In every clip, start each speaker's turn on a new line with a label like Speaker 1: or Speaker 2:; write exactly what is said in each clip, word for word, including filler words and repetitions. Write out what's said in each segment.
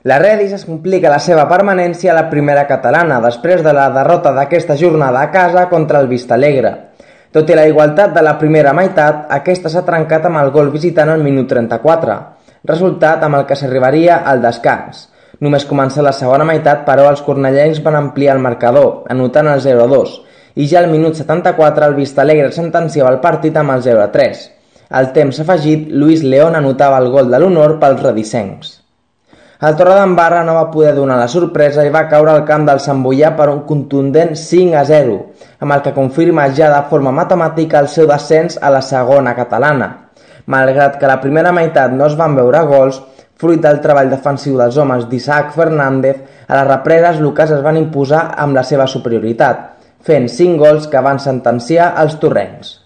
Speaker 1: La Redis es complica la seva permanència a la primera catalana després de la derrota d'aquesta jornada a casa contra el Vistalegre. Tot i la igualtat de la primera meitat, aquesta s'ha trencat amb el gol visitant al minut trenta-quatre, resultat amb el que s'arribaria al descans. Només començar la segona meitat, però, els cornellencs van ampliar el marcador, anotant el zero a dos, i ja al minut setanta-quatre el Vistalegre sentenciava el partit amb el zero a tres. Al temps afegit, Luis León anotava el gol de l'honor pels redisencs. El Torredembarra no va poder donar la sorpresa i va caure al camp del Sant Boià per un contundent cinc a zero, amb el que confirma ja de forma matemàtica el seu descens a la segona catalana. Malgrat que a la primera meitat no es van veure gols, fruit del treball defensiu dels homes d'Isaac Fernández, a les represes locals es van imposar amb la seva superioritat, fent cinc gols que van sentenciar els torrencs.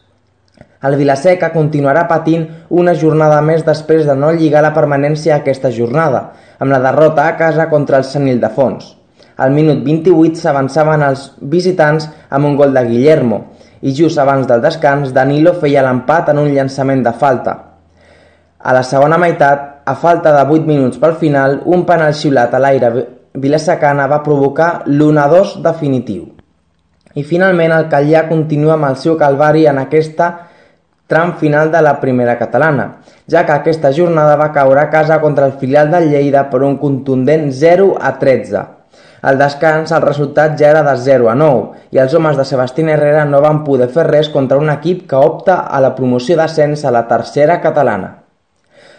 Speaker 1: El Vila-seca continuarà patint una jornada més després de no lligar la permanència a aquesta jornada, amb la derrota a casa contra el Sant Ildefons. Al minut vint-i-vuit s'avançaven els visitants amb un gol de Guillermo, i just abans del descans Danilo feia l'empat en un llançament de falta. A la segona meitat, a falta de vuit minuts pel final, un penal xiulat a l'aire vilasecana va provocar l'u a dos definitiu. I finalment el Calllà continua amb el seu calvari en aquesta tram final de la primera catalana, ja que aquesta jornada va caure a casa contra el filial del Lleida per un contundent zero a tretze. Al descans el resultat ja era de zero a nou i els homes de Sebastián Herrera no van poder fer res contra un equip que opta a la promoció d'ascens a la tercera catalana.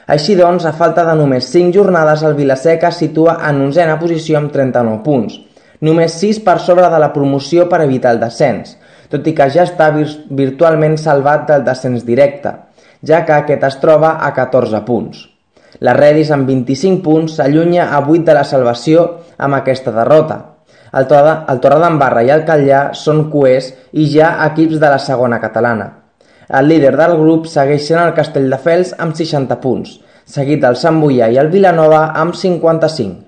Speaker 1: Així doncs, a falta de només cinc jornades, el Vila-seca es situa en onzena posició amb trenta-nou punts, només sis per sobre de la promoció per evitar el descens, tot i que ja està virtualment salvat del descens directe, ja que aquest es troba a catorze punts. La Redis, amb vint-i-cinc punts, s'allunya a vuit de la salvació amb aquesta derrota. El Torredembarra i el Calllà són coers i ja equips de la segona catalana. El líder del grup segueix sent el Castelldefels amb seixanta punts, seguit del Sant Boià i el Vilanova amb cinquanta-cinc.